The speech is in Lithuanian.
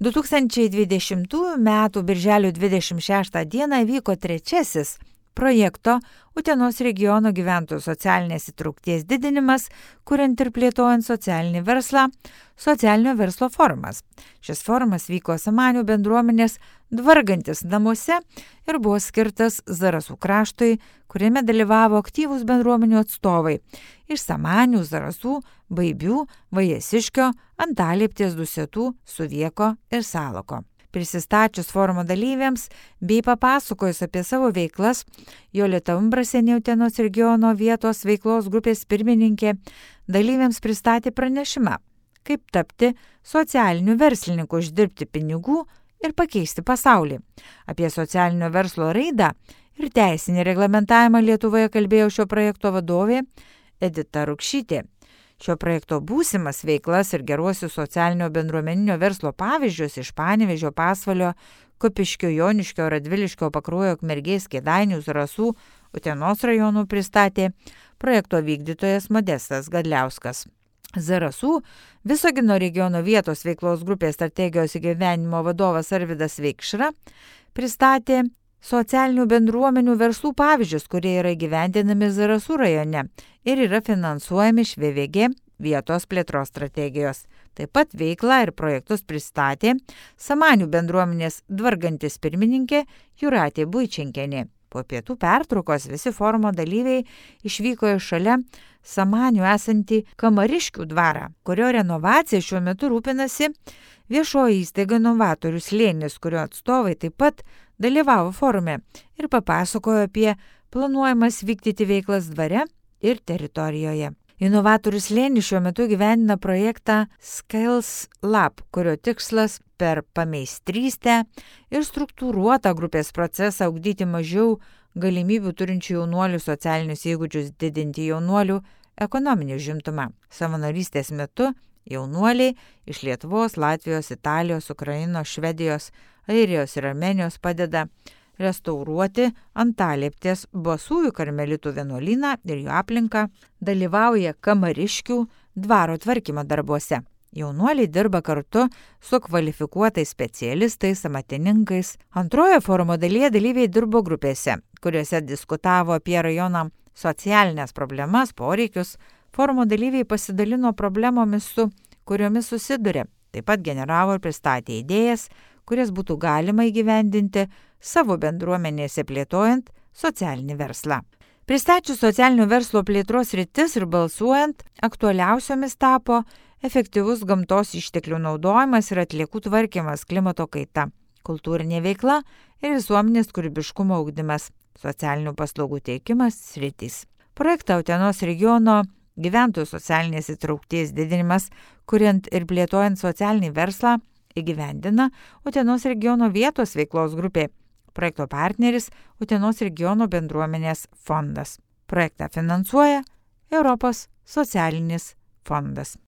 2020 m. birželio 26 d. vyko trečiasis projekto Utenos regiono gyventojų socialinės įtraukties didinimas, kuriant ir plėtojant socialinį verslą, socialinio verslo forumas. Šis forumas vyko Samanių bendruomenės Dvargantis namuose ir buvo skirtas Zarasų kraštui, kuriame dalyvavo aktyvūs bendruomenių atstovai iš Samanių, Zarasų, Baibių, Vajesiškio, Antalieptės, Dusetų, Suvieko ir Salako. Prisistačius forumo dalyviams bei papasakojus apie savo veiklas, Jolita Umbrasienė, Utenos regiono vietos veiklos grupės pirmininkė, dalyviams pristatė pranešimą, kaip tapti socialiniu verslininku, uždirbti pinigų ir pakeisti pasaulį. Apie socialinio verslo raidą ir teisinį reglamentavimą Lietuvoje kalbėjo šio projekto vadovė Edita Rukšytė. Šio projekto būsimas veiklas ir geruosius socialinio bendruomeninio verslo pavyzdžius iš Panevėžio, Pasvalio, Kupiškio, Joniškio, Radviliškio, Pakruojo, Ukmergės, Kėdainių, Zarasų, Utenos rajonų pristatė projekto vykdytojas Modestas Gadliauskas. Zarasų Visagino regiono vietos veiklos grupės strategijos įgyvendinimo vadovas Arvydas Veikšra pristatė socialinių bendruomenių verslų pavyzdžius, kurie yra įgyvendinami Zarasų rajone ir yra finansuojami iš VVG vietos plėtros strategijos. Taip pat veiklą ir projektus pristatė Samanių bendruomenės Dvargantis pirmininkė Jūratė Buičenkienė. Po pietų pertraukos visi forumo dalyviai išvyko iš šalia Samanių esantį Kamariškių dvarą, kurio renovacija šiuo metu rūpinasi viešoji įstaiga Novatorių slėnis, kurio atstovai taip pat dalyvavo forume ir papasakojo apie planuojamas vykdyti veiklas dvare ir teritorijoje. Inovatorių slėnis šiuo metu gyvendina projektą Skills Lab, kurio tikslas per pameistrystę ir struktūruotą grupės procesą ugdyti mažiau galimybių turinčių jaunuolių socialinius įgūdžius, didinti jaunuolių ekonominį užimtumą. Savanorystės metu jaunuoliai iš Lietuvos, Latvijos, Italijos, Ukrainos, Švedijos, Airijos ir Armėnijos padeda restauruoti Antalieptės Basųjų karmelitų vienuolyną ir jų aplinką, dalyvauja Kamariškių dvaro tvarkymo darbuose. Jaunuoliai dirba kartu su kvalifikuotais specialistais, amatininkais. Antroje forumo dalyje dalyviai dirbo grupėse, kuriuose diskutavo apie rajono socialinės problemas, poreikius. Forumo dalyviai pasidalino problemomis, su kuriomis susiduria. Taip pat generavo ir pristatė idėjas, kurias būtų galima įgyvendinti savo bendruomenėse plėtojant socialinį verslą. Pristačius socialinio verslo plėtros rytis ir balsuojant, aktualiausiomis tapo efektyvus gamtos išteklių naudojimas ir atliekų tvarkymas, klimato kaita, kultūrinė veikla ir visuomenės kūrybiškumo ugdymas, socialinių paslaugų teikimas sritys. Projektą Utenos regiono gyventojų socialinės įtraukties didinimas, kuriant ir plėtojant socialinį verslą, įgyvendina Utenos regiono vietos veiklos grupė. Projekto partneris Utenos regiono bendruomenės fondas. Projektą finansuoja Europos socialinis fondas.